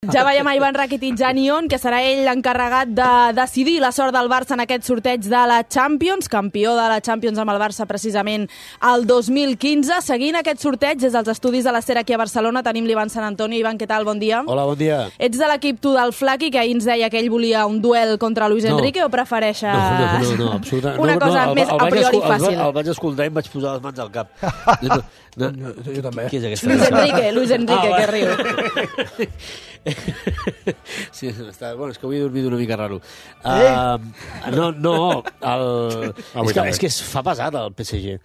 Ja veiem a Ivan Rakitic a Nyon, que serà ell l'encarregat de decidir la sort del Barça en aquest sorteig de la Champions, campió de la Champions amb el Barça precisament el 2015. Seguint aquest sorteig des dels estudis de la SER aquí a Barcelona tenim l'Ivan Sant Antonio. Ivan, què tal? Bon dia. Hola, bon dia. Ets de l'equip tu del Flaqui, que ahir ens deia que ell volia un duel contra Luis Enrique, o prefereixes no, absolutament. una cosa més a priori fàcil? El vaig escoltar i em vaig posar les mans al cap. Jo també. Qui és aquesta? Luis Enrique, que riu. Sí, bueno, és que avui he dormit una mica raro. És que es fa pesat el PSG.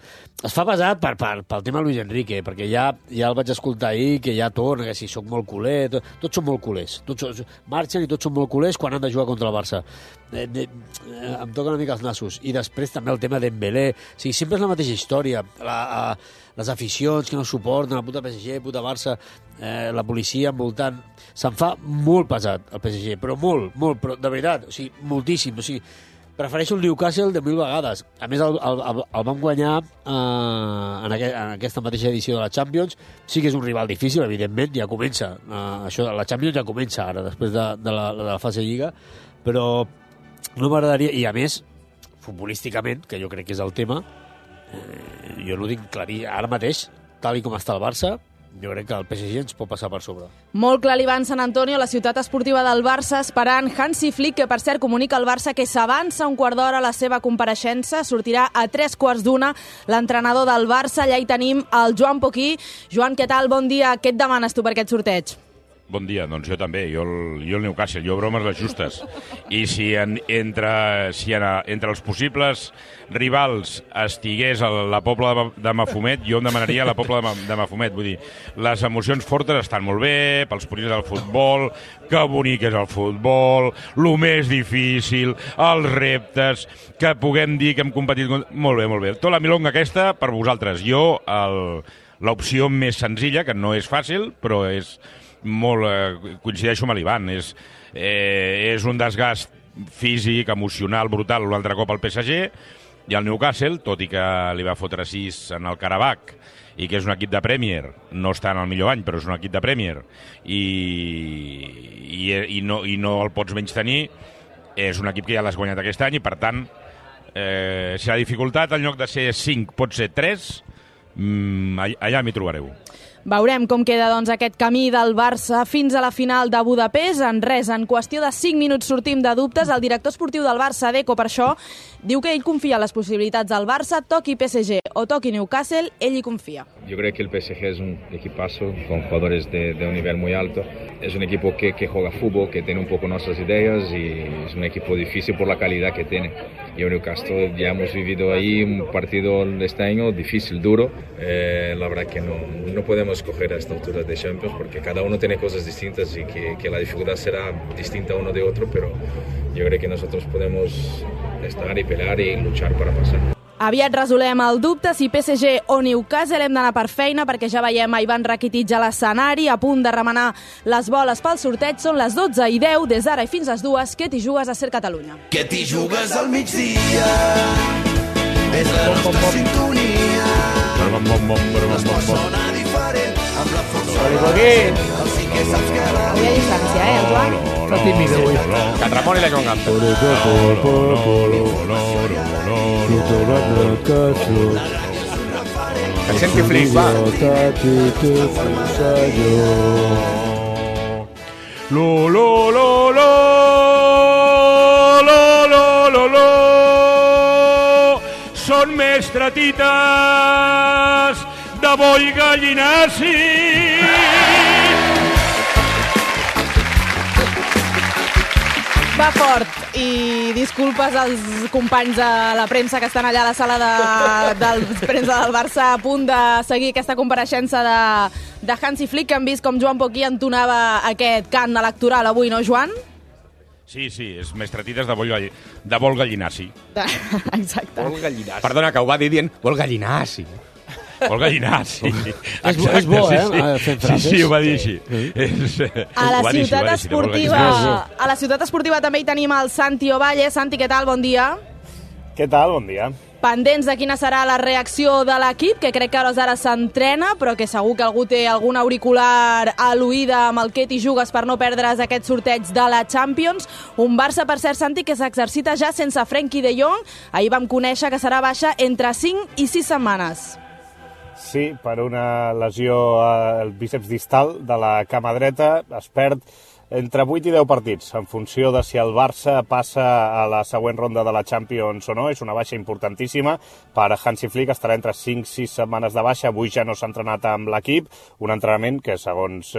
Es fa pesat pel tema Luis Enrique, perquè ja el vaig escoltar ahir, que ja torna, que si soc molt culer, tots són molt culers. Marxen i tots són molt culers quan han de jugar contra el Barça. Em toca una mica els nassos. I després també el tema Dembélé. O sigui, sempre és la mateixa història. Les aficions que no suporten, la puta PSG, puta Barça, la policia envoltant. Se'n fa molt pesat el PSG, però molt, però de veritat, o sigui, moltíssim. O sigui, prefereixo el Newcastle de 1000 vegades. A més, el van guanyar en aquesta mateixa edició de la Champions. Sí que és un rival difícil, evidentment, ja comença. La Champions ja comença ara, després de la fase Lliga, però no m'agradaria, i a més, futbolísticament, que jo crec que és el tema, jo no dic clarí, ara mateix, tal com està el Barça, jo crec que el PSG ens pot passar per sobre. Molt clar, l'Ivan Sant Antonio, la ciutat esportiva del Barça, esperant Hansi Flick, que per cert comunica al Barça que s'avança un quart d'hora a la seva compareixença, sortirà a 3:15 l'entrenador del Barça. Allà hi tenim el Joan Poquí. Joan, què tal? Bon dia. Què et demanes tu per aquest sorteig? Bon dia, doncs jo també, jo el Newcastle, jo bromes les justes. I si entre els possibles rivals estigués la Pobla de Mafumet, jo em demanaria la Pobla de Mafumet. Vull dir, les emocions fortes estan molt bé, pels purins del futbol, que bonic és el futbol, el més difícil, els reptes, que puguem dir que hem competit... Molt bé. Tota la milonga aquesta per vosaltres. Jo, l'opció més senzilla, que no és fàcil, però és... coincideixo amb l'Ivan, és un desgast físic, emocional, brutal un altre cop al PSG, i el Newcastle, tot i que li va fotre 6 en el Karabakh i que és un equip de Premier, no està en el millor any però és un equip de Premier i no el pots menys tenir, és un equip que ja l'has guanyat aquest any i per tant si la dificultat en lloc de ser 5 pot ser 3, allà m'hi trobareu. Veurem com queda aquest camí del Barça fins a la final de Budapest. En qüestió de 5 minuts sortim de dubtes. El director esportiu del Barça, Deco, per això, diu que ell confia en les possibilitats del Barça, toqui PSG o toqui Newcastle, ell hi confia. Yo creo que el PSG es un equipazo con jugadores de un nivel muy alto. Es un equipo que juega fútbol, que tiene un poco nuestras ideas y es un equipo difícil por la calidad que tiene. Y en Newcastle ya hemos vivido ahí un partido este año difícil, duro. La verdad que no podemos escoger a esta altura de Champions porque cada uno tiene cosas distintas y que la dificultad será distinta uno de otro, pero yo creo que nosotros podemos estar y pelear y luchar para pasar. Aviat resolem el dubte si PSG o Newcastle. Hem d'anar per feina perquè ja veiem a Ivan Rakitic a l'escenari a punt de remenar les boles pel sorteig. Són les 12:10, des d'ara i fins les 2. Què t'hi jugues a SER Catalunya? Què t'hi jugues al migdia? És la nostra sintonia. L'esport sona diferent amb la força del sí que saps que la Avui a distància, el Joan? Està tímid avui. Que et Ramon i la Joan Gamper. Que senti Flick, va. Són més tratites de bo i gallinaci. Va fort, i disculpes als companys de la premsa que estan allà a la sala de premsa del Barça a punt de seguir aquesta compareixença de Hansi Flick, que han vist com Joan Poquí entonava aquest cant electoral avui, no, Joan? Sí, és més tratites de vol gallinaci. Exacte. Vol gallinaci. Perdona, que ho va dir dient vol gallinaci. Vol gallinaci. És bo, fent frases. Sí, ho va dir així. A la ciutat esportiva també hi tenim el Santi Ovalle. Santi, què tal? Bon dia. Què tal? Bon dia. Pendents de quina serà la reacció de l'equip, que crec que a hores d'ara s'entrena, però que segur que algú té algun auricular a l'oïda amb el que t'hi jugues per no perdre's aquest sorteig de la Champions. Un Barça, per cert, Santi, que s'exercita ja sense Frenkie de Jong. Ahir vam conèixer que serà baixa entre 5 i 6 setmanes. Sí, per una lesió al bíceps distal de la cama dreta. Es perd entre 8 i 10 partits, en funció de si el Barça passa a la següent ronda de la Champions o no. És una baixa importantíssima per Hansi Flick, estarà entre 5 i 6 setmanes de baixa. Avui ja no s'ha entrenat amb l'equip, un entrenament que, segons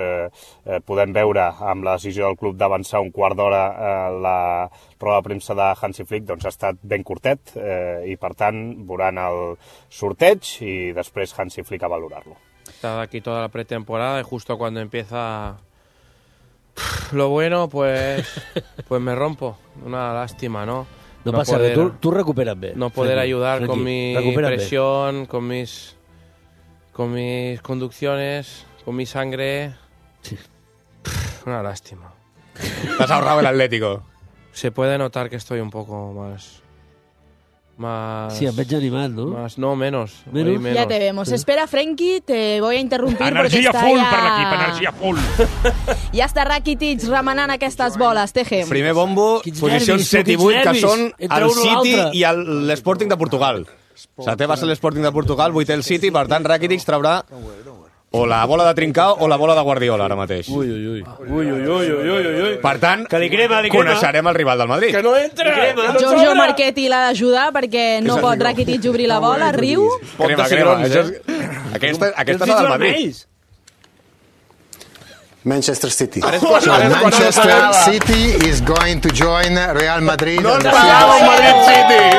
podem veure amb la decisió del club d'avançar un quart d'hora la roda de premsa de Hansi Flick, doncs ha estat ben curtet i, per tant, veuran el sorteig i després Hansi Flick a valorar-lo. Está aquí toda la pretemporada y justo cuando empieza lo bueno, pues me rompo. Una lástima, ¿no? No pasa nada, tú recuperas bien. No poder ayudar con mi presión, con mis conducciones, con mi sangre. Sí. Una lástima. Te has ahorrado el Atlético. Se puede notar que estoy un poco más... Sí, em veig animat, ¿no? No, menos. Ya te vemos. Sí. Espera, Frenkie, te voy a interrumpir. Energia porque full ja... per l'equip, energia full. Ja està Rakitic remenant aquestes boles, Teje. Primer bombo, posicions 7 i 8, que són el City i l'Sporting de Portugal. Setè va ser l'Sporting de Portugal, 8è el City, per tant Rakitic traurà o la bola de Trincao o la bola de Guardiola ara mateix. Ui. Per tant, coneixerem el rival del Madrid. Que no entra! Giorgio Marchetti l'ha d'ajudar perquè no pot Rakitic obrir la bola, riu. Crema. Aquesta és la del Madrid. Manchester City. Manchester City is going to join Real Madrid. No ens pagava el Madrid City!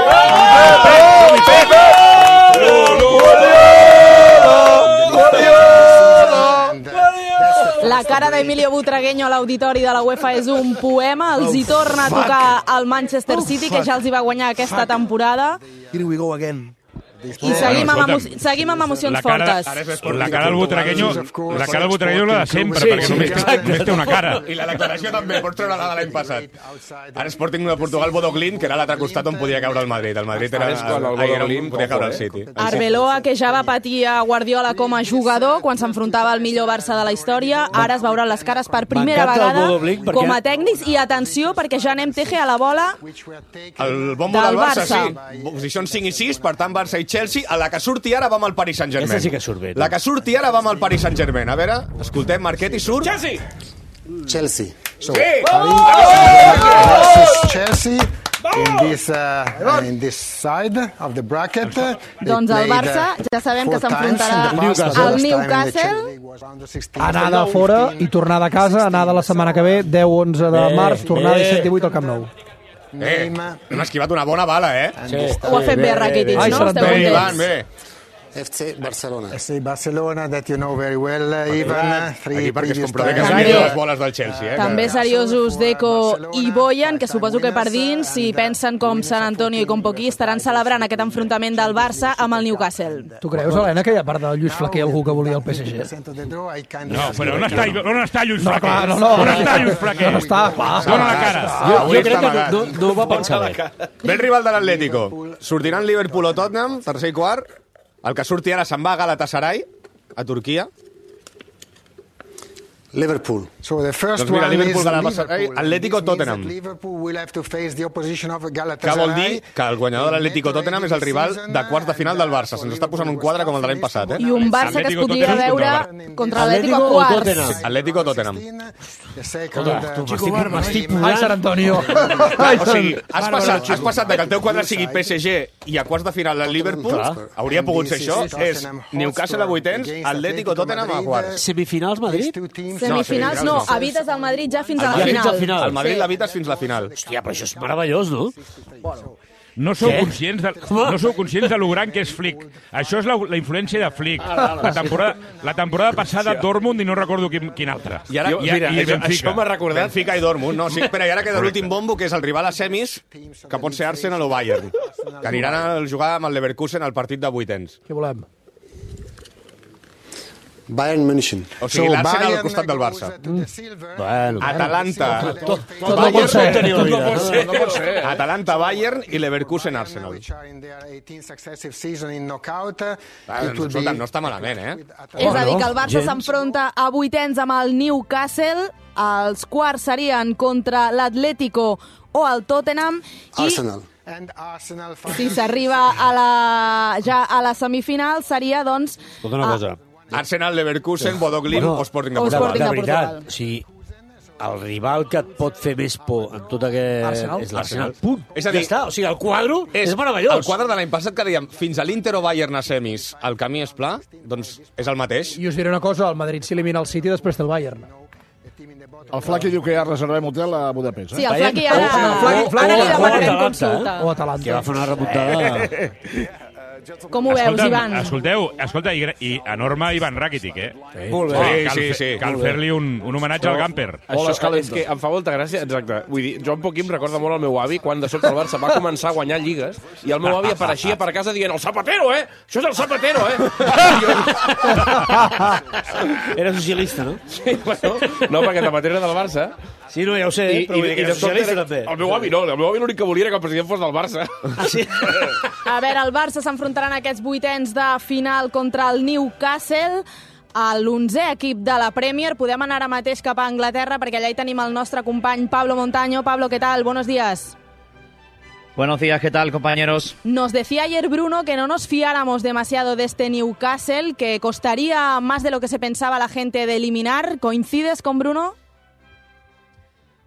La cara d'Emilio Butragueño a l'auditori de la UEFA és un poema. Els hi torna a tocar al Manchester City, que ja els hi va guanyar aquesta temporada. Here we go again. I seguim amb emocions fortes. La cara del Butragueño la de sempre, perquè només té una cara. I la declaració també, pots treure la de l'any passat. Ara Sporting de Portugal, Bodo Glimt, que era l'altre costat on podia caure el Madrid. El Madrid era on podia caure el City. Arbeloa, que ja va patir a Guardiola com a jugador quan s'enfrontava al millor Barça de la història, ara es veuran les cares per primera vegada com a tècnics. I atenció, perquè ja anem, Teje, a la bola el bombo del Barça, sí. Posicions 5 i 6, per tant Barça i Chelsea. A la que surti ara va amb el Paris Saint-Germain. Aquesta sí que surt bé. La que surti ara va amb el Paris Saint-Germain. A veure, escoltem, Marchetti surt. Chelsea. So, Sí! versus Chelsea in this side of the bracket. Doncs el Barça ja sabem que s'enfrontarà al Newcastle. Anada fora i tornada a casa, anada la setmana que ve, 10-11 de març, tornada 7 i 8 al Camp Nou. Hem esquivat una bona bala, Sí. Ho ha fet bé Rakitic, no? Esteu contents? Bé. FC Barcelona. FC Barcelona, that you know very well, Ivan. Aquí perquè es comprova que s'han les boles del Chelsea. També seriosos Deco i Boyan, que suposo que per dins, si pensen com Sant Antonio i com Poquí, estaran celebrant aquest enfrontament del Barça amb el Newcastle. Tu creus, Helena, que hi ha part del Lluís Flaquer algú que volia el PSG? No, però on està Lluís Flaquer? No. On està Lluís Flaquer? No està, clar. Dóna la cara. Jo crec que no ho va pensar bé. Ve el rival de l'Atlético. Sortiran Liverpool o Tottenham, tercer i quart. El que surti ara se'n va a Galatasaray, a Turquia. Liverpool. So the first doncs mira, one Liverpool, is Galatasaray, Atlético, Tottenham. Liverpool will have to face the opposition of Que Galatasaray. vol dir que el guanyador de l'Atlético Tottenham és el rival de quarts de final del Barça. Se'ns està posant un quadre com el de l'any passat, I un Barça que es podria veure contra l'Atlético a quarts. Atlético Tottenham. M'estic pudant. Ai, Sant Antonio. O sigui, has passat de que el teu quadre sigui PSG i a quarts de final el Liverpool, hauria pogut ser això, és Newcastle a vuitens, Atlético Tottenham a quarts. Semifinals Madrid? Semifinals no, evites el Madrid ja fins a la final. El Madrid l'evites fins la final. Hòstia, però això és meravellós, no? No sou conscients de lo gran que és Flick. Això és la influència de Flick. La temporada passada Dortmund i no recordo quin altre. I ara, mira, això m'ha recordat. Benfica i Dortmund, no? Sí, espera, i ara queda l'últim bombo, que és el rival a semis, que pot ser Arsenal o Bayern, que aniran a jugar amb el Leverkusen al partit de vuitens. Què volem? Bayern München. O sigui, l'Arsenal al costat del Barça. Bueno, Atalanta. Tot no pot ser. No pot ser. Atalanta, Bayern i Leverkusen, Arsenal. Escolta, no està malament, És a dir, que el Barça s'enfronta a vuitens amb el Newcastle, els quarts serien contra l'Atlético o el Tottenham i si s'arriba ja a la semifinal seria, doncs... Tota una cosa. Arsenal, Leverkusen, Bodo Glimt o Sporting de Portugal. De veritat, o sigui, el rival que et pot fer més por en tot aquest... és l'Arsenal. Punt. És a dir, ja està. O sigui, el quadre és meravellós. El quadre de l'any passat que dèiem fins a l'Inter o Bayern a semis el camí és pla, doncs és el mateix. I us diré una cosa, el Madrid s'elimina el City després del Bayern. El Flaqui diu que ja reservem hotel a Budapest. Sí, el Flaqui ara... Ara li demanarem consulta. O Atalanta. Que va fer una remuntada... Com ho veus, Ivan? Escolta, i enorme Ivan Rakitic, Molt bé. Sí. Cal fer-li un homenatge al Gamper. Això és que em fa molta gràcia, exacte. Vull dir, jo un poc em recorda molt el meu avi quan de sobte el Barça va començar a guanyar lligues i el meu avi apareixia per casa dient el Zapatero, Això és el Zapatero, Era socialista, no? Sí, bueno, no, perquè Zapatero era del Barça. Sí, no, ja ho sé, però vull dir que era socialista també. El meu avi no, el meu avi l'únic que volia era que el president fos del Barça. Ah, sí? A veure, el Barça s'enfrontarà en aquests vuitens de final contra el Newcastle, l'11è equip de la Premier. Podem anar ara mateix cap a Anglaterra perquè allà hi tenim el nostre company Pablo Montaño. Pablo, ¿qué tal? Buenos días. Buenos días, ¿qué tal, compañeros? Nos decía ayer Bruno que no nos fiáramos demasiado de este Newcastle, que costaría más de lo que se pensaba la gente de eliminar. ¿Coincides con Bruno?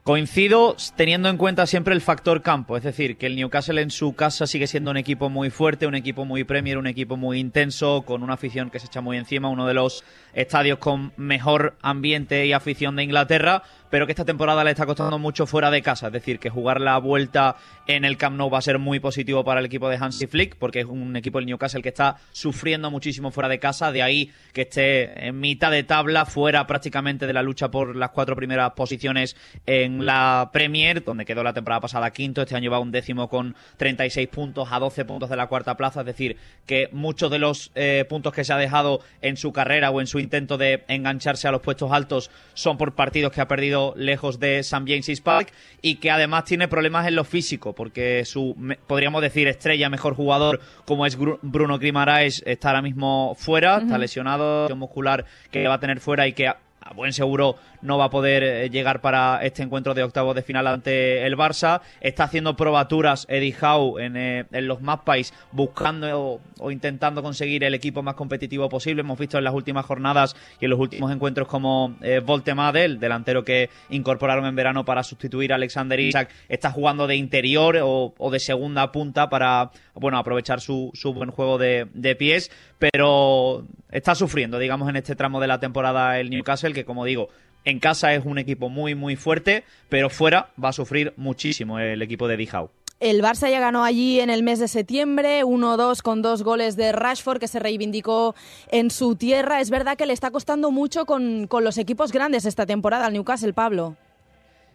Coincido teniendo en cuenta siempre el factor campo, es decir, que el Newcastle en su casa sigue siendo un equipo muy fuerte, un equipo muy Premier, un equipo muy intenso, con una afición que se echa muy encima, uno de los estadios con mejor ambiente y afición de Inglaterra, pero que esta temporada le está costando mucho fuera de casa, es decir, que jugar la vuelta en el Camp Nou va a ser muy positivo para el equipo de Hansi Flick, porque es un equipo del Newcastle que está sufriendo muchísimo fuera de casa, de ahí que esté en mitad de tabla, fuera prácticamente de la lucha por las 4 primeras posiciones en la Premier, donde quedó la temporada pasada quinto, este año va 11º con 36 puntos a 12 puntos de la cuarta plaza, es decir, que muchos de los puntos que se ha dejado en su carrera o en su intento de engancharse a los puestos altos son por partidos que ha perdido lejos de St. James's Park y que además tiene problemas en lo físico porque su, podríamos decir, estrella, mejor jugador como es Bruno Guimaraes está ahora mismo fuera, está lesionado, muscular que va a tener fuera y que a buen seguro no va a poder llegar para este encuentro de octavos de final ante el Barça. Está haciendo probaturas Eddie Howe en los Magpies buscando o intentando conseguir el equipo más competitivo posible. Hemos visto en las últimas jornadas y en los últimos encuentros como Voltemade, el delantero que incorporaron en verano para sustituir a Alexander Isak, está jugando de interior o de segunda punta para aprovechar su buen juego de pies, pero está sufriendo, digamos, en este tramo de la temporada el Newcastle, que como digo, en casa es un equipo muy muy fuerte, pero fuera va a sufrir muchísimo el equipo de Eddie Howe. El Barça ya ganó allí en el mes de septiembre, 1-2 con 2 goles de Rashford, que se reivindicó en su tierra. Es verdad que le está costando mucho con los equipos grandes esta temporada al Newcastle, Pablo.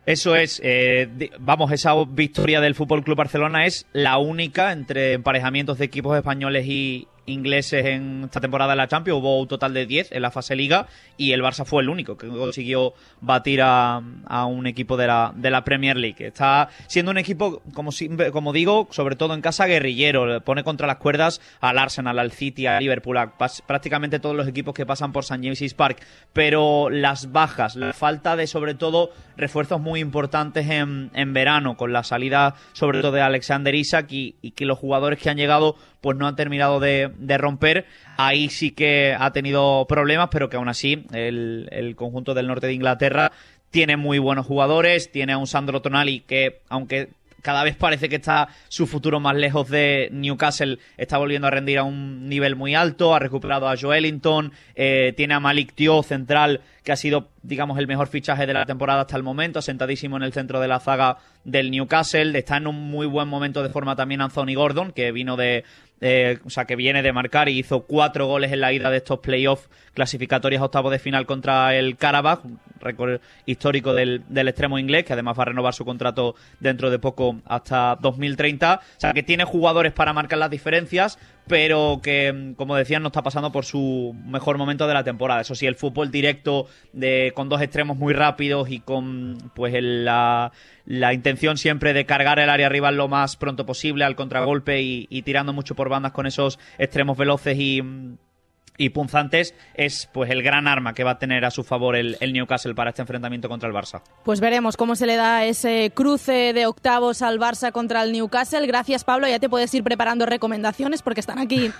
Eso es, esa victoria del FC Barcelona es la única entre emparejamientos de equipos españoles y ingleses en esta temporada de la Champions. Hubo un total de 10 en la fase Liga y el Barça fue el único que consiguió batir a un equipo de la Premier League. Está siendo un equipo, como digo, sobre todo en casa, guerrillero. Pone contra las cuerdas al Arsenal, al City, al Liverpool, a prácticamente todos los equipos que pasan por St. James's Park. Pero las bajas, la falta de, sobre todo, refuerzos muy importantes en verano, con la salida sobre todo de Alexander Isak y que los jugadores que han llegado pues no han terminado de romper. Ahí sí que ha tenido problemas, pero que aún así el conjunto del norte de Inglaterra tiene muy buenos jugadores, tiene a un Sandro Tonali que, aunque cada vez parece que está su futuro más lejos de Newcastle, está volviendo a rendir a un nivel muy alto, ha recuperado a Joelinton, tiene a Malik Thiaw, central, que ha sido, digamos, el mejor fichaje de la temporada hasta el momento, sentadísimo en el centro de la zaga del Newcastle. Está en un muy buen momento de forma también Anthony Gordon, que vino que viene de marcar y hizo 4 goles en la ida de estos playoffs clasificatorias a octavos de final contra el Karabakh, un récord histórico del extremo inglés, que además va a renovar su contrato dentro de poco hasta 2030. O sea, que tiene jugadores para marcar las diferencias, pero que, como decían, no está pasando por su mejor momento de la temporada. Eso sí, el fútbol directo con dos extremos muy rápidos y con pues la intención siempre de cargar el área rival lo más pronto posible al contragolpe y tirando mucho por bandas con esos extremos veloces y punzantes, es pues el gran arma que va a tener a su favor el Newcastle para este enfrentamiento contra el Barça. Pues veremos cómo se le da ese cruce de octavos al Barça contra el Newcastle. Gracias, Pablo. Ya te puedes ir preparando recomendaciones porque están aquí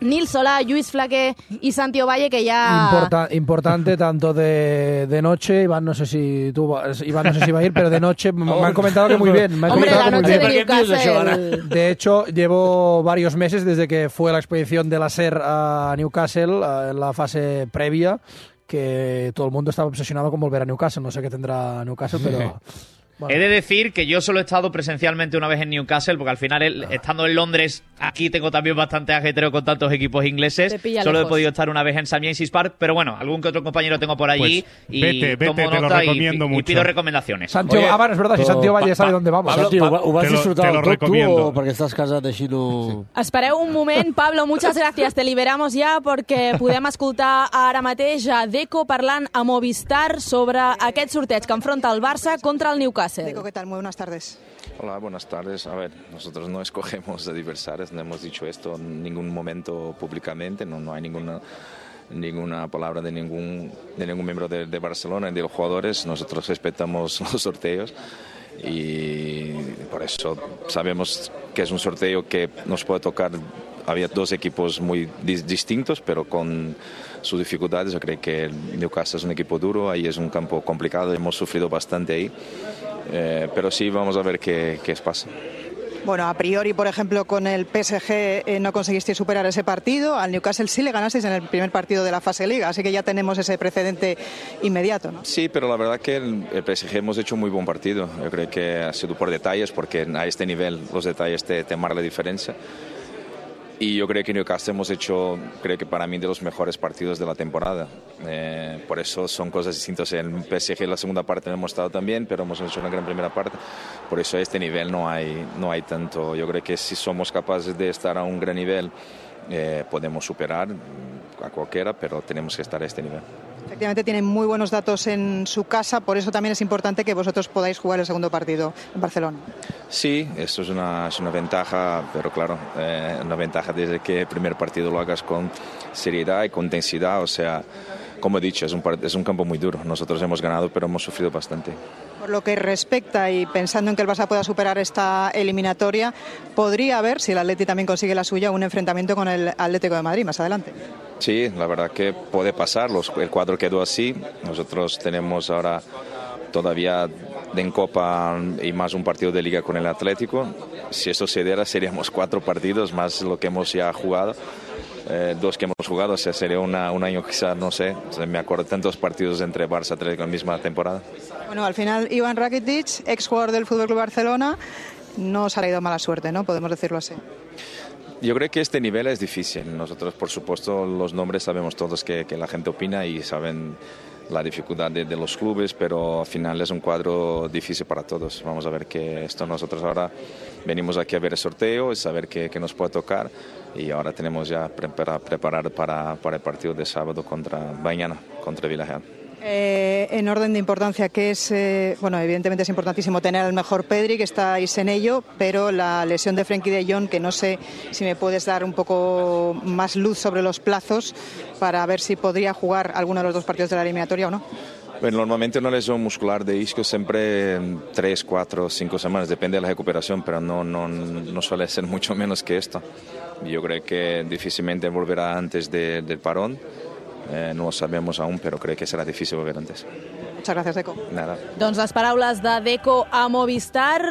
Nil Solà, Lluís Flaquer y Santi Ovalle, que ya... Importante tanto de noche. Iván no sé si va a ir, pero de noche me han comentado que muy bien. Hombre, la noche de Newcastle... De hecho, llevo varios meses desde que fue la expedición de la SER a Newcastle, en la fase previa, que todo el mundo estaba obsesionado con volver a Newcastle. No sé qué tendrá Newcastle, pero... Bueno. He de decir que yo solo he estado presencialmente una vez en Newcastle, porque al final, estando en Londres, aquí tengo también bastante ajetreo con tantos equipos ingleses. Solo he podido estar una vez en St. James's Park, pero bueno, algún que otro compañero tengo por allí y tomo nota y pido recomendaciones. Santiago, es verdad, si Santiago Valle sabe dónde vamos. Pablo, ho vas disfrutar tot tu o perquè estàs casat així no... Espereu un moment, Pablo, muchas gracias. Te liberamos ya perquè podem escoltar ara mateix a Deco parlant a Movistar sobre aquest sorteig que enfronta el Barça contra el Newcastle. Deco, ¿qué tal? Muy buenas tardes. Hola, buenas tardes. A ver, nosotros no escogemos adversarios, no hemos dicho esto en ningún momento públicamente, no hay ninguna palabra de ningún miembro de Barcelona y de los jugadores. Nosotros respetamos los sorteos y por eso sabemos que es un sorteo que nos puede tocar. Había dos equipos muy distintos, pero con sus dificultades. Yo creo que el Newcastle es un equipo duro, ahí es un campo complicado, hemos sufrido bastante ahí. Pero sí, vamos a ver qué pasa. Bueno, a priori, por ejemplo, con el PSG no conseguisteis superar ese partido. Al Newcastle sí le ganasteis en el primer partido de la fase Liga, así que ya tenemos ese precedente inmediato, ¿no? Sí, pero la verdad que el PSG hemos hecho un muy buen partido. Yo creo que ha sido por detalles, porque a este nivel los detalles te marcan la diferencia. Y yo creo que Newcastle hemos hecho, creo que para mí, de los mejores partidos de la temporada. Por eso son cosas distintas. En el PSG la segunda parte no hemos estado tan bien, pero hemos hecho una gran primera parte. Por eso a este nivel no hay tanto. Yo creo que si somos capaces de estar a un gran nivel, podemos superar a cualquiera, pero tenemos que estar a este nivel. Efectivamente tienen muy buenos datos en su casa, por eso también es importante que vosotros podáis jugar el segundo partido en Barcelona. Sí, eso es una ventaja, pero claro, una ventaja desde que el primer partido lo hagas con seriedad y con intensidad. O sea, como he dicho, es un campo muy duro. Nosotros hemos ganado, pero hemos sufrido bastante. Por lo que respecta y pensando en que el Barça pueda superar esta eliminatoria, podría haber, si el Atleti también consigue la suya, un enfrentamiento con el Atlético de Madrid más adelante. Sí, la verdad que puede pasar. El cuadro quedó así. Nosotros tenemos ahora todavía en Copa y más un partido de Liga con el Atlético. Si eso se diera, seríamos 4 partidos más lo que hemos ya jugado. 2 que hemos jugado, o sea, sería un año quizás, no sé, me acuerdo tantos partidos entre Barça y Atlético en la misma temporada. Bueno, al final Iván Rakitic, exjugador del FC Barcelona, no os ha traído mala suerte, ¿no? Podemos decirlo así. Yo creo que este nivel es difícil. Nosotros, por supuesto, los nombres sabemos todos que la gente opina y saben la dificultad de los clubes, pero al final es un cuadro difícil para todos. Vamos a ver que esto nosotros ahora venimos aquí a ver el sorteo y saber qué nos puede tocar, y ahora tenemos ya preparar para el partido de sábado mañana contra Villarreal. En orden de importancia, que es, bueno, evidentemente es importantísimo tener al mejor Pedri, que estáis en ello, pero la lesión de Frenkie de Jong, que no sé si me puedes dar un poco más luz sobre los plazos para ver si podría jugar alguno de los 2 partidos de la eliminatoria o no. Bueno, normalmente una lesión muscular de isquio siempre 3, 4, 5 semanas, depende de la recuperación, pero no suele ser mucho menos que esto. Yo creo que difícilmente volverá antes del parón. No ho sabemos aún, però crec que serà difícil volver antes. Muchas gracias, Deco. Nada. Doncs les paraules de Deco a Movistar,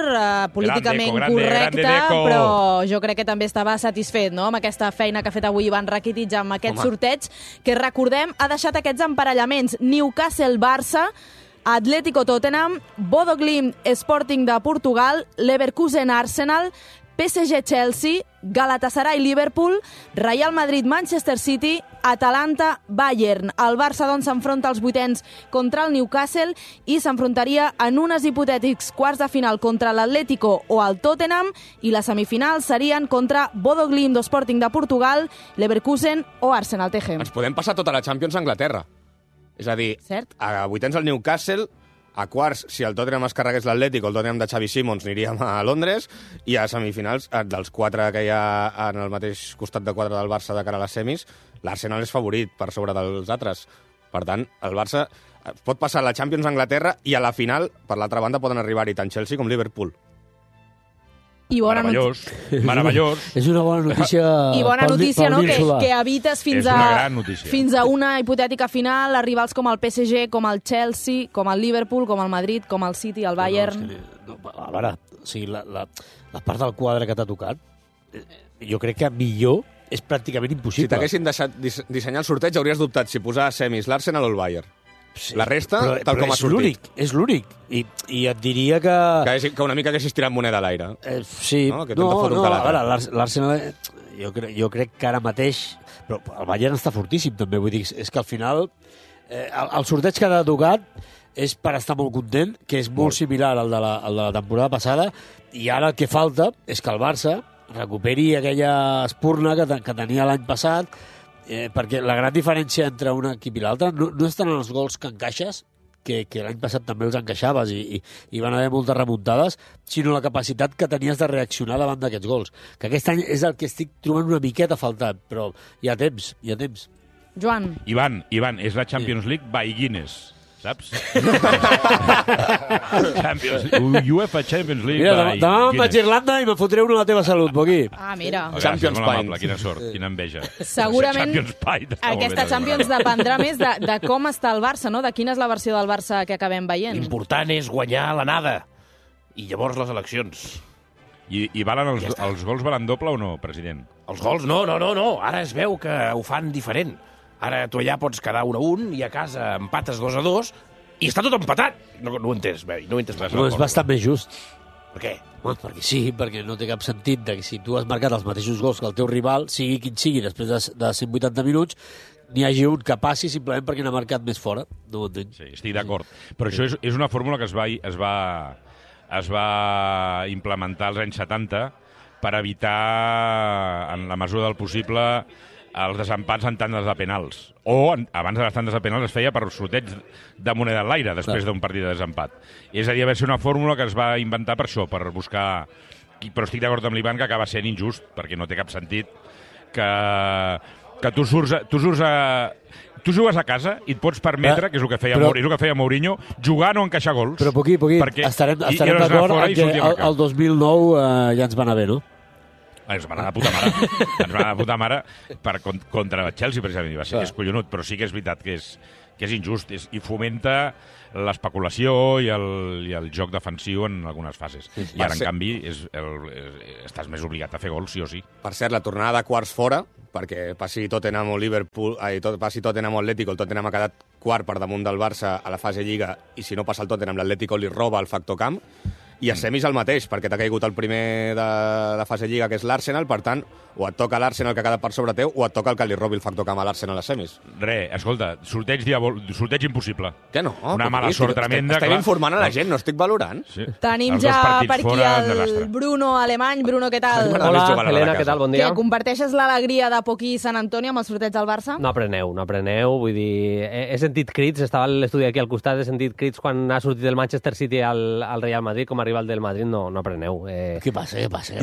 políticament correcte, però jo crec que també estava satisfet, no?, amb aquesta feina que ha fet avui Iván Rakitic amb aquest sorteig, que recordem ha deixat aquests emparellaments: Newcastle-Barça, Atlético-Tottenham, Bodo Glimt Sporting de Portugal, Leverkusen-Arsenal, PSG-Chelsea, Galatasaray-Liverpool, Real Madrid-Manchester City, Atalanta-Bayern. El Barça, doncs, s'enfronta als vuitens contra el Newcastle i s'enfrontaria en unes hipotètics quarts de final contra l'Atlético o el Tottenham, i les semifinals serien contra Bodo Glimt o Sporting de Portugal, Leverkusen o Arsenal. TG. Ens podem passar tota la Champions a Anglaterra. És a dir, a vuitens el Newcastle, a quarts, si el Tottenham es carregués l'Atlético, el Tottenham de Xavi Simons, aniríem a Londres, i a semifinals, dels 4 que hi ha en el mateix costat de 4 del Barça de cara a les semis, l'Arsenal és favorit per sobre dels altres. Per tant, el Barça pot passar a la Champions a Anglaterra i a la final, per l'altra banda, poden arribar-hi tant Chelsea com Liverpool. I bona Meravellós. És una bona notícia. I bona notícia, no? Que evites fins a una hipotètica final a rivals com el PSG, com el Chelsea, com el Liverpool, com el Madrid, com el City, el Bayern... A veure, o sigui, la part del quadre que t'ha tocat, jo crec que millor és pràcticament impossible. Si t'haguessin deixat dissenyar el sorteig, hauries dubtat si posar a semis l'Arsenal o el Bayern. Sí, la resta, tal com ha sortit. És l'únic. I et diria que... Que una mica haguessis tirat moneda a l'aire. Sí. No, a veure, l'Arsenal... Jo crec que ara mateix... Però el Bayern està fortíssim, també. Vull dir, és que al final... El sorteig que ha tocat és per estar molt content, que és molt similar al de la temporada passada, i ara el que falta és que el Barça recuperi aquella espurna que tenia l'any passat, perquè la gran diferència entre un equip i l'altre no és tant en els gols que encaixes, que l'any passat també els encaixaves i van haver moltes remuntades, sinó la capacitat que tenies de reaccionar davant d'aquests gols. Que aquest any és el que estic trobant una miqueta faltant, però hi ha temps. Joan. Ivan, és la Champions League by Guinness. Saps? UEFA Champions League. Mira, demà vaig a Irlanda i me fotré una a la teva salut, Poquí. Mira. Champions Pint. Quina sort, quina enveja. Segurament aquesta Champions dependrà més de com està el Barça, no? De quina és la versió del Barça que acabem veient. L'important és guanyar l'anada. I llavors les eleccions. I valen els gols valen doble o no, president? Els gols no. Ara es veu que ho fan diferent. Ara tu allà pots quedar 1-1 i a casa empates 2-2 i està tot empatat. No ho he entès, no ho he entès res. No, és bastant més just. Per què? Perquè sí, perquè no té cap sentit que si tu has marcat els mateixos gols que el teu rival, sigui quin sigui, després de 180 minuts, n'hi hagi un que passi simplement perquè n'ha marcat més fora. No ho entenc. Sí, estic d'acord. Però això és una fórmula que es va implementar als anys 70 per evitar, en la mesura del possible, els desempats en tandes de penals. O, abans de les tandes de penals, es feia per sorteig de moneda en l'aire, després d'un partit de desempat. És a dir, va ser una fórmula que es va inventar per això, per buscar... Però estic d'acord amb l'Ivan que acaba sent injust, perquè no té cap sentit que tu jugues a casa i et pots permetre, que és el que feia Mourinho, jugar no encaixar gols. Però Poquí, estarem d'acord que el 2009 ja ens va anar bé, no? Ens va anar de puta mare contra el Chelsea, precisament. És collonut, però sí que és veritat que és injust i fomenta l'especulació i el joc defensiu en algunes fases. I ara, en canvi, estàs més obligat a fer gols, sí o sí. Per cert, la tornada de quarts fora, perquè passi Tottenham o passi Tottenham o Atlético, el Tottenham ha quedat quart per damunt del Barça a la fase Lliga, i si no passa el Tottenham, l'Atlético li roba el factor camp. I a semis el mateix, perquè t'ha caigut el primer de la fase Lliga, que és l'Arsenal, per tant, o et toca l'Arsenal que ha quedat per sobre teu, o et toca el que li robi el factor camp a l'Arsenal a semis. Escolta, sorteig impossible. Que no? Una mala sort tremenda. Estem informant a la gent, no estic valorant. Sí. Tenim ja per aquí el Bruno alemany. Bruno, què tal? Hola, Helena, què tal? Bon dia. Comparteixes l'alegria de Poquí i Sant Antoni amb el sorteig del Barça? No apreneu, vull dir... He sentit crits, estava a l'estudi aquí al costat, he sentit crits quan ha sortit el Manchester City al Real Madrid com a rival del Madrid, no apreneu. Què passa? Ja vam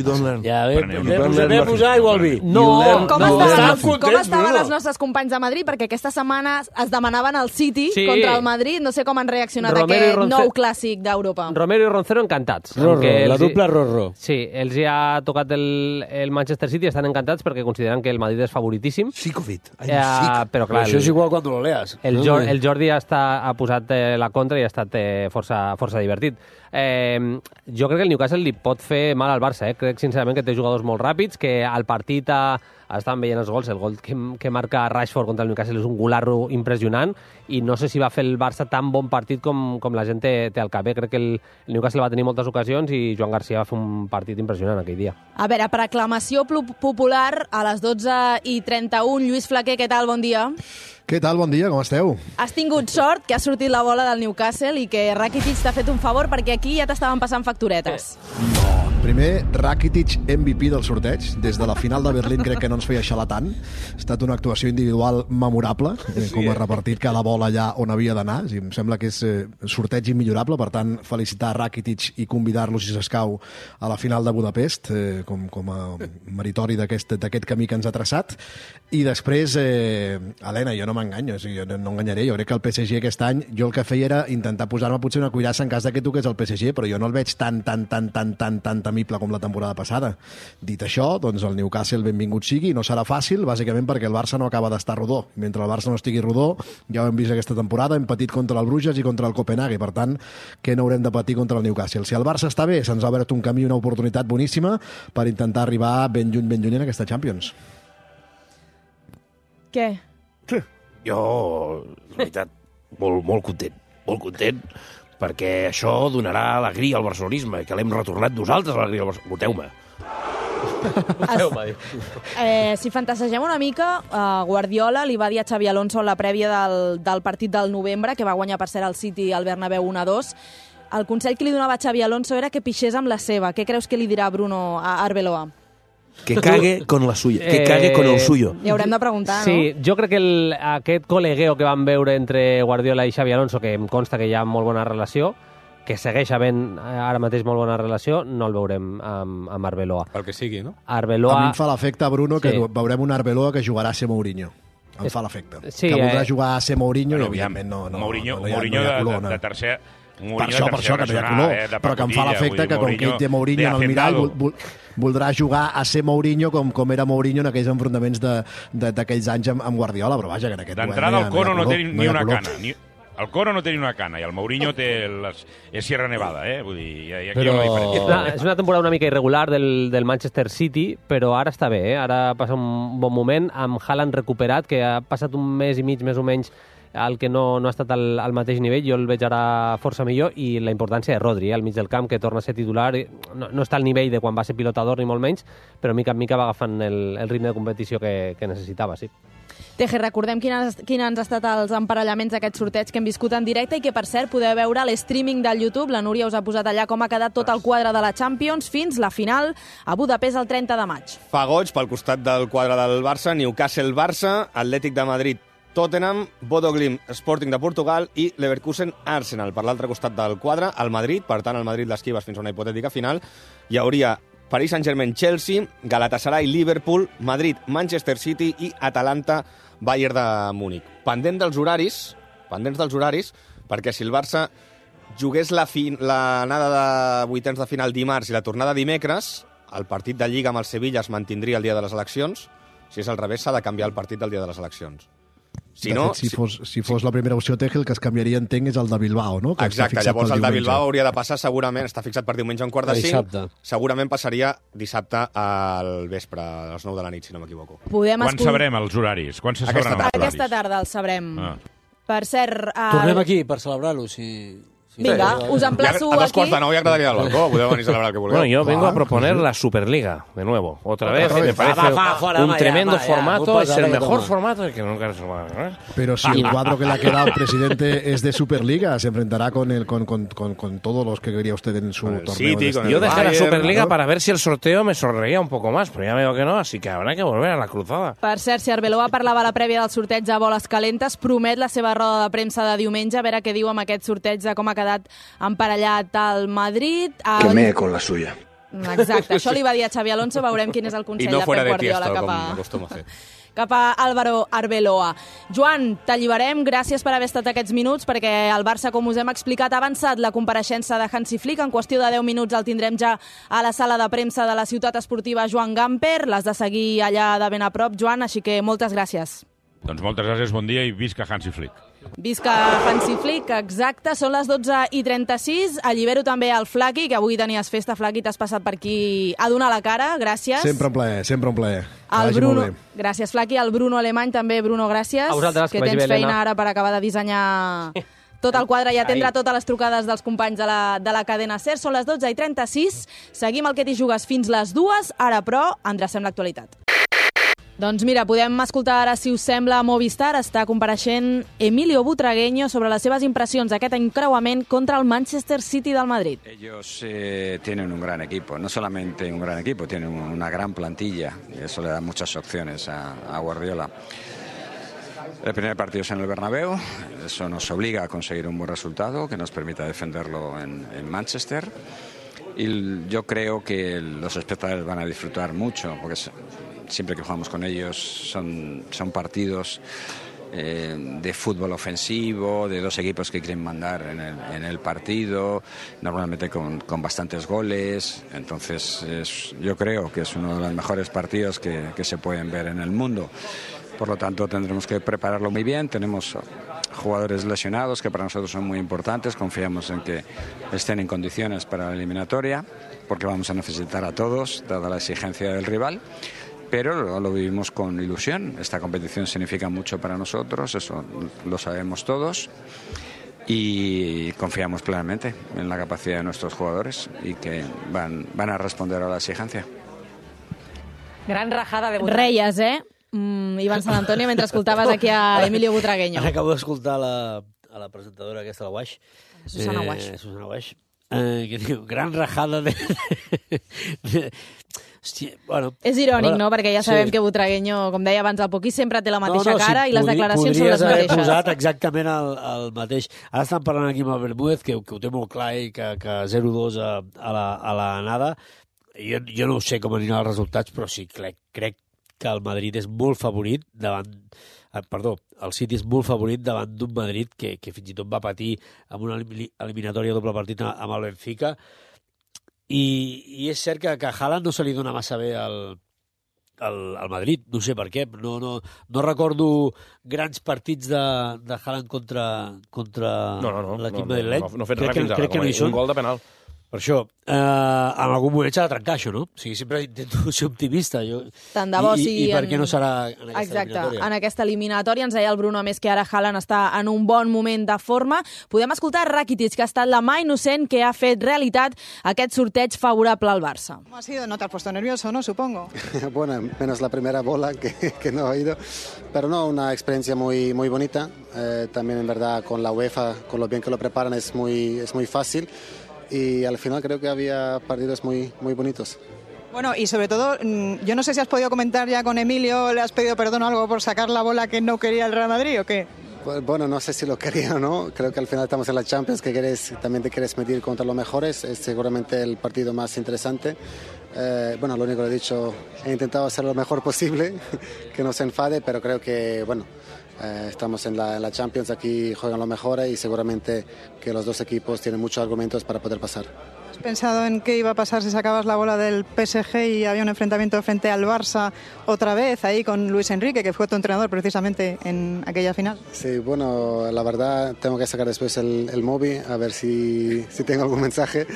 posar igual vi. Com estaven els nostres companys de Madrid? Perquè aquesta setmana es demanaven el City contra el Madrid. No sé com han reaccionat a aquest nou clàssic d'Europa. Romero i Roncero encantats. La dupla Rorro. Sí, els hi ha tocat el Manchester City, estan encantats perquè consideren que el Madrid és favoritíssim. Psicofit. Però clar, això és igual quan lo leas. El Jordi ha posat la contra i ha estat força divertit. Jo crec que el Newcastle li pot fer mal al Barça. Crec sincerament que té jugadors molt ràpids, que el partit a estàvem veient els gols, el gol que marca Rashford contra el Newcastle és un golarro impressionant i no sé si va fer el Barça tan bon partit com la gent té al cap. Crec que el Newcastle va tenir moltes ocasions i Joan Garcia va fer un partit impressionant aquell dia. A veure, per aclamació popular, a les 12:31, Lluís Flaquer, què tal? Bon dia. Què tal? Bon dia, com esteu? Has tingut sort que ha sortit la bola del Newcastle i que Rakitic t'ha fet un favor perquè aquí ja t'estaven passant facturetes. No. Primer, Rakitic MVP del sorteig. Des de la final de Berlín crec que no ens feia xalar tant. Ha estat una actuació individual memorable, com ha repartit cada bola allà on havia d'anar. Em sembla que és sorteig immillorable, per tant, felicitar Rakitic i convidar-lo, si s'escau, a la final de Budapest, com a meritori d'aquest camí que ens ha traçat. I després, Helena, jo no m'enganyo, jo no enganyaré, jo crec que el PSG aquest any, jo el que feia era intentar posar-me potser una cuirassa en cas que toqués el PSG, però jo no el veig tan temible com la temporada passada. Dit això, doncs el Newcastle benvingut sigui, no serà fàcil, bàsicament perquè el Barça no acaba d'estar rodó. Mentre el Barça no estigui rodó, ja ho hem vist aquesta temporada, hem patit contra el Bruges i contra el Copenhague, per tant, que no haurem de patir contra el Newcastle. Si el Barça està bé, se'ns ha obert un camí, una oportunitat boníssima per intentar arribar ben lluny en aquesta Champions. Què? Jo, la veritat, molt content, perquè això donarà alegria al barcelonisme, que l'hem retornat nosaltres a l'alegria al barcelonisme. Voteu-me. Si fantasegem una mica, Guardiola li va dir a Xabi Alonso en la prèvia del partit del novembre, que va guanyar per cert el City al Bernabéu 1-2, el consell que li donava a Xabi Alonso era que pixés amb la seva. Què creus que li dirà Bruno a Arbeloa? Que cague con la suya, que cague con el suyo. Li haurem de preguntar, no? Sí, jo crec que aquest col·legueo que van veure entre Guardiola i Xabi Alonso, que em consta que hi ha molt bona relació, que segueix havent ara mateix molt bona relació, no el veurem amb Arbeloa. Pel que sigui, no? Arbeloa... A mi em fa l'efecte, Bruno, que veurem un Arbeloa que jugarà a ser Mourinho. Em fa l'efecte. Sí, que voldrà jugar a ser Mourinho i, evidentment, no Mourinho de tercer... Per això que no hi ha color, però que em fa l'efecte que com que ell té Mourinho en el mirall voldrà jugar a ser Mourinho com era Mourinho en aquells enfrontaments d'aquells anys amb Guardiola, però vaja, que en aquest moment d'entrada el Coro no té ni una cana. El Coro no té ni una cana i el Mourinho és Sierra Nevada, vull dir, aquí hi ha una diferència. És una temporada una mica irregular del Manchester City, però ara està bé, ara passa un bon moment amb Haaland recuperat, que ha passat un mes i mig més o menys el que no ha estat al mateix nivell, jo el veig ara força millor, i la importància de Rodri, al mig del camp, que torna a ser titular, no està al nivell de quan va ser pilotador ni molt menys, però mica en mica va agafant el ritme de competició que necessitava, sí. Teje, recordem quins han estat els emparellaments d'aquest sorteig que hem viscut en directe i que, per cert, podeu veure l'streaming del YouTube. La Núria us ha posat allà com ha quedat tot el quadre de la Champions fins la final a Budapest el 30 de maig. Fa goig pel costat del quadre del Barça, Newcastle-Barça, Atlètic de Madrid, Tottenham, Bodo Glimt, Sporting de Portugal i Leverkusen Arsenal. Per l'altre costat del quadre, el Madrid, per tant el Madrid l'esquives fins a una hipotètica final, hi hauria Paris Saint-Germain Chelsea, Galatasaray Liverpool, Madrid Manchester City i Atalanta Bayern de Múnich. Pendents dels horaris, perquè si el Barça jugués l'anada de vuitens de final dimarts i la tornada dimecres, el partit de Lliga amb el Sevilla es mantindria el dia de les eleccions. Si és al revés, s'ha de canviar el partit del dia de les eleccions. Si fos la primera opció, Teje, el que es canviaria, entenc, és el de Bilbao, no? Que exacte, llavors el de Bilbao hauria de passar segurament, està fixat per diumenge a 4:45, segurament passaria dissabte al vespre, a les 9 de la nit, si no m'equivoco. Quan sabrem els horaris? Quan se sabran els horaris? Aquesta tarda els sabrem. Per cert... Tornem aquí per celebrar-lo, si... Vinga, us emplaço aquí. A 8:45 ya quedaría al balcón, podemos venir a celebrar que volvemos. Bueno, yo vengo a proponer la Superliga, de nuevo. Otra vez, me parece un tremendo formato, es el mejor formato que nunca se va a... Pero si el cuadro que le ha quedado al presidente es de Superliga, se enfrentará con todos los que quería usted en su torneo. City, yo dejé la Superliga para ver si el sorteo me sonreía un poco más, pero ya veo que no, así que habrá que volver a la cruzada. Per cert, si Arbeloa parlava a la prèvia del sorteig de boles calentes, promet la seva roda de premsa de diumenge, a veure què diu amb aquest sorteig de com ha quedat emparellat al Madrid. Que me con la suya. Exacte, això li va dir a Xabi Alonso, veurem quin és el consell de Pep Guardiola cap a Álvaro Arbeloa. Joan, t'alliberem, gràcies per haver estat aquests minuts, perquè el Barça, com us hem explicat, ha avançat la compareixença de Hansi Flick. En qüestió de 10 minuts el tindrem ja a la sala de premsa de la ciutat esportiva Joan Gamper. L'has de seguir allà de ben a prop, Joan, així que moltes gràcies. Doncs moltes gràcies, bon dia i visca Hansi Flick. Visca Hansi Flick, exacte, són les 12:36. Allibero també el Flaqui, que avui tenies festa. Flaqui, t'has passat per aquí a donar la cara, gràcies. Sempre un plaer, sempre un plaer. El Bruno, gràcies Flaqui, el Bruno Alemany també, Bruno, gràcies. A vosaltres, que tens feina ara per acabar de dissenyar tot el quadre i atendre totes les trucades dels companys de la cadena SER. Són les 12:36, seguim el que t'hi jugues fins les 2, ara però endrecem l'actualitat. Doncs mira, podem escoltar ara, si us sembla, a Movistar. Està compareixent Emilio Butragueño sobre les seves impressions d'aquest encreuament contra el Manchester City del Madrid. Ellos tienen un gran equipo, no solamente un gran equipo, tienen una gran plantilla y eso le da muchas opciones a Guardiola. El primer partido es en el Bernabéu, eso nos obliga a conseguir un buen resultado que nos permita defenderlo en Manchester. Y yo creo que los espectadores van a disfrutar mucho, porque siempre que jugamos con ellos son partidos de fútbol ofensivo, de dos equipos que quieren mandar en el partido, normalmente con bastantes goles. Entonces yo creo que es uno de los mejores partidos que se pueden ver en el mundo. Por lo tanto, tendremos que prepararlo muy bien. Tenemos jugadores lesionados que para nosotros son muy importantes. Confiamos en que estén en condiciones para la eliminatoria, porque vamos a necesitar a todos, dada la exigencia del rival. Pero lo vivimos con ilusión. Esta competición significa mucho para nosotros, eso lo sabemos todos. Y confiamos plenamente en la capacidad de nuestros jugadores y que van a responder a la exigencia. Gran rajada de Reies, Ivan Sant Antonio, mentre escoltaves aquí a Emilio Butragueño. Acabo d'escoltar a la presentadora aquesta, la Waix. Susana Waix. Susana Waix. Que diu, gran rajada de... Hòstia, bueno... És irònic, no? Perquè ja sabem que Butragueño, com deia abans, el Poquí sempre té la mateixa cara i les declaracions són les mateixes. Podries haver posat exactament el mateix. Ara estan parlant aquí amb el Bermúdez, que ho té molt clar i que 0-2 a la nada. Jo no sé com aniran els resultats, però sí, crec que el Madrid és molt favorit davant... el City és molt favorit davant d'un Madrid que fins i tot va patir amb una eliminatòria doble partit amb el Benfica. I és cert que a Haaland no se li dona massa bé al Madrid, no sé per què. No recordo grans partits de Haaland contra l'equip madrileny. No ha fet res fins ara, crec que no hi són. Un gol de penal. Per això, en algun moment s'ha de trencar això, no? O sigui, sempre intento ser optimista. Tant de bo sigui... I per què no serà en aquesta eliminatòria? En aquesta eliminatòria, ens deia el Bruno, a més, que ara Haaland està en un bon moment de forma. Podem escoltar Rakitic, que ha estat la mà innocent que ha fet realitat aquest sorteig favorable al Barça. ¿Cómo ha sido? ¿No te has puesto nervioso, no? Supongo. Bueno, menos la primera bola que no he ido. Pero no, una experiencia muy, muy bonita. También, en verdad, con la UEFA, con lo bien que lo preparan, es muy fácil. Y al final creo que había partidos muy, muy bonitos. Bueno, y sobre todo, yo no sé si has podido comentar ya con Emilio, ¿le has pedido perdón o algo por sacar la bola que no quería el Real Madrid o qué? Bueno, no sé si lo quería o no. Creo que al final estamos en la Champions, que también te quieres medir contra los mejores. Es seguramente el partido más interesante. Bueno, lo único que he dicho, he intentado hacer lo mejor posible, que no se enfade, pero creo que, bueno, estamos en la Champions, aquí juegan los mejores y seguramente que los dos equipos tienen muchos argumentos para poder pasar. ¿Has pensado en qué iba a pasar si sacabas la bola del PSG y había un enfrentamiento frente al Barça otra vez, ahí con Luis Enrique, que fue tu entrenador precisamente en aquella final? Sí, bueno, la verdad tengo que sacar después el móvil a ver si tengo algún mensaje,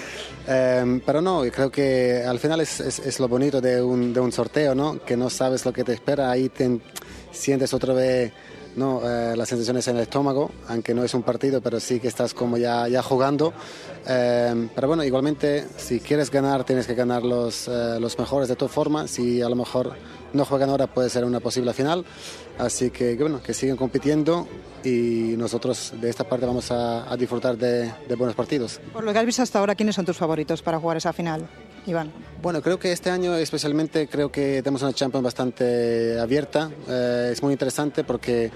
pero no, creo que al final es lo bonito de un sorteo, ¿no? Que no sabes lo que te espera, ahí te sientes otra vez... No, las sensaciones en el estómago, aunque no es un partido, pero sí que estás como ya jugando. Pero bueno, igualmente, si quieres ganar, tienes que ganar los mejores de tu forma. Si a lo mejor no juegan ahora, puede ser una posible final. Así que bueno, que sigan compitiendo y nosotros de esta parte vamos a disfrutar de buenos partidos. Por lo que has visto hasta ahora, ¿quiénes son tus favoritos para jugar esa final, Iván? Bueno, creo que este año especialmente creo que tenemos una Champions bastante abierta. Es muy interesante porque,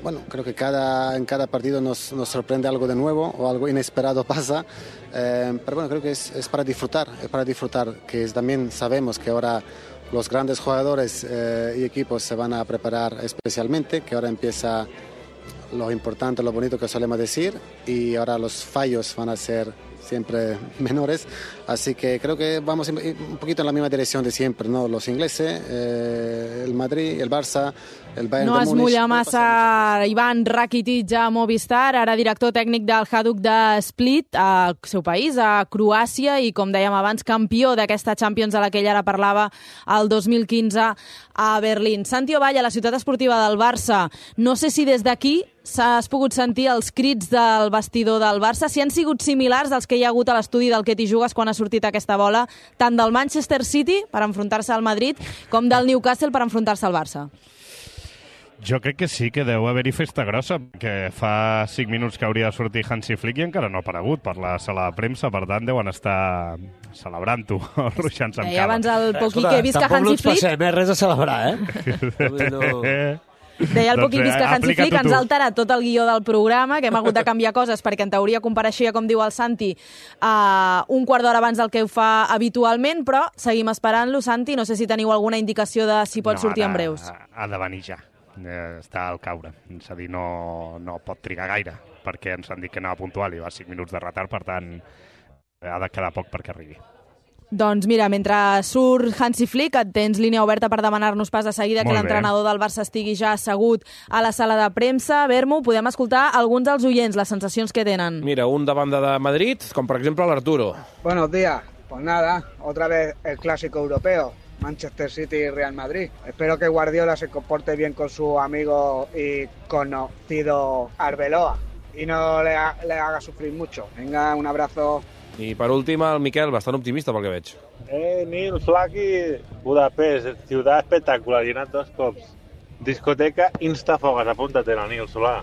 bueno, creo que en cada partido nos sorprende algo de nuevo o algo inesperado pasa. Pero bueno, creo que es para disfrutar, que también sabemos que ahora los grandes jugadores y equipos se van a preparar especialmente, que ahora empieza lo importante, lo bonito que solemos decir, y ahora los fallos van a ser siempre menores, así que creo que vamos un poquito en la misma dirección de siempre, ¿no? Los ingleses, el Madrid, el Barça, el Bayern no de Múnich... No es mulla massa Ivan Rakitic a Movistar, ara director tècnic del Hajduk de Split, al seu país, a Croàcia, i com dèiem abans, campió d'aquesta Champions a la que ell ara parlava el 2015 a Berlín. Santi Ovall, a la ciutat esportiva del Barça, no sé si des d'aquí has pogut sentir els crits del vestidor del Barça, si han sigut similars als que hi ha hagut a l'estudi del Que t'hi jugues quan ha sortit aquesta bola, tant del Manchester City per enfrontar-se al Madrid com del Newcastle per enfrontar-se al Barça. Jo crec que sí, que deu haver-hi festa grossa, que fa 5 minuts que hauria de sortir Hansi Flick i encara no ha aparegut per la sala de premsa, per tant deuen estar celebrant-ho, ruixant-se amb cava. Abans el Poqui que he vist que Hansi Flick... Tampoc no ens passem, res a celebrar, Deia el Poqui que Hansi Flick ens ha alterat tot el guió del programa, que hem hagut de canviar coses perquè en teoria compareixia, com diu el Santi, un quart d'hora abans del que ho fa habitualment, però seguim esperant-lo. Santi, no sé si teniu alguna indicació de si pot sortir en breus. Ha de venir ja. Està al caure. És a dir, no pot trigar gaire, perquè ens han dit que anava puntual i va 5 minuts de retard, per tant, ha de quedar poc perquè arribi. Doncs mira, mentre surt Hansi Flick, et tens línia oberta per demanar-nos pas de seguida que l'entrenador del Barça estigui ja assegut a la sala de premsa. Bermu, podem escoltar alguns dels oients, les sensacions que tenen. Mira, un de banda de Madrid, com per exemple l'Arturo. Buenos días. Pues nada, otra vez el clásico europeo. Manchester City y Real Madrid. Espero que Guardiola se comporte bien con su amigo y conocido Arbeloa y no le haga sufrir mucho. Venga, un abrazo. I per últim, el Miquel, bastant optimista pel que veig. Nil Flaki, Budapest, ciudad espectacular, llenat 2 cops. Discoteca Instafogas, apúntate, Nil Solà.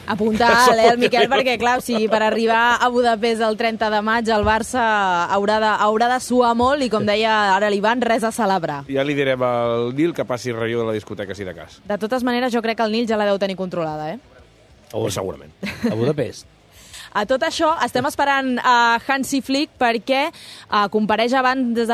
Apunta el Miquel, perquè, clar, per arribar a Budapest el 30 de maig, el Barça haurà de suar molt i, com deia ara l'Ivan, res a celebrar. Ja li direm al Nil que passi relleu de la discoteca, si de cas. De totes maneres, jo crec que el Nil ja la deu tenir controlada, Segurament. A Budapest. A tot això, estem esperant a Hansi Flick perquè compareix abans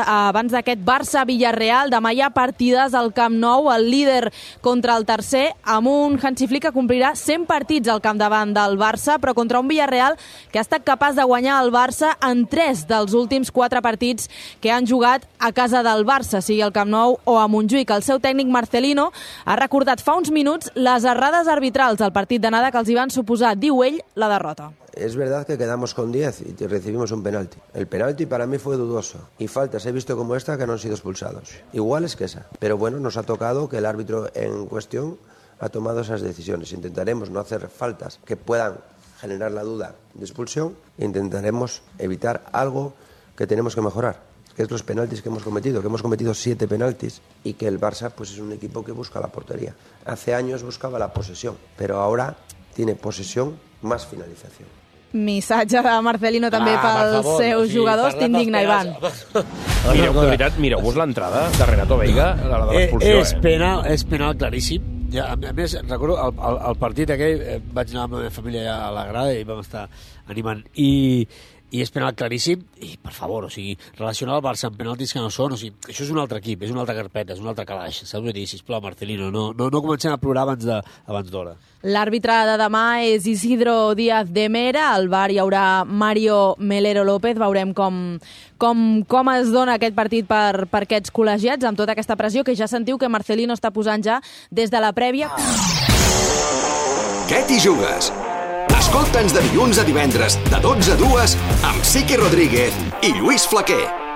d'aquest Barça-Villarreal. Demà hi ha partides al Camp Nou, el líder contra el tercer, amb un Hansi Flick que complirà 100 partits al capdavant del Barça, però contra un Villarreal que ha estat capaç de guanyar el Barça en 3 dels últims 4 partits que han jugat a casa del Barça, sigui al Camp Nou o a Montjuïc. El seu tècnic Marcelino ha recordat fa uns minuts les errades arbitrals del partit d'anada que els hi van suposar, diu ell, la derrota. Es verdad que quedamos con 10 y recibimos un penalti. El penalti para mí fue dudoso. Y faltas he visto como esta que no han sido expulsados. Iguales que esa. Pero bueno, nos ha tocado que el árbitro en cuestión ha tomado esas decisiones. Intentaremos no hacer faltas que puedan generar la duda de expulsión. Intentaremos evitar algo que tenemos que mejorar, que es los penaltis que hemos cometido. Que hemos cometido 7 penaltis y que el Barça pues, es un equipo que busca la portería. Hace años buscaba la posesión, pero ahora tiene posesión más finalització. Missatge de Marcelino també pels seus jugadors. T'indigna, Ivan. Mireu-vos l'entrada de Renato Veiga, la de l'expulsió. És penal claríssim. A més, recordo el partit aquell, vaig anar amb la meva família a la grada i vam estar animant. I és penal claríssim, i per favor, o sigui, relacionar el Barça amb penaltis que no són, o sigui, això és un altre equip, és una altra carpeta, és un altre calaix, saps què dir? Sisplau, Marcelino, no comencem a plorar abans d'hora. L'àrbitre de demà és Isidro Díaz de Mera, al VAR hi haurà Mario Melero López, veurem com es dona aquest partit per aquests col·legiats, amb tota aquesta pressió que ja sentiu que Marcelino està posant ja des de la prèvia. Què t'hi jugues? Escolta'ns de dilluns a divendres, de 12 a 2, amb Siqui Rodríguez i Lluís Flaquer.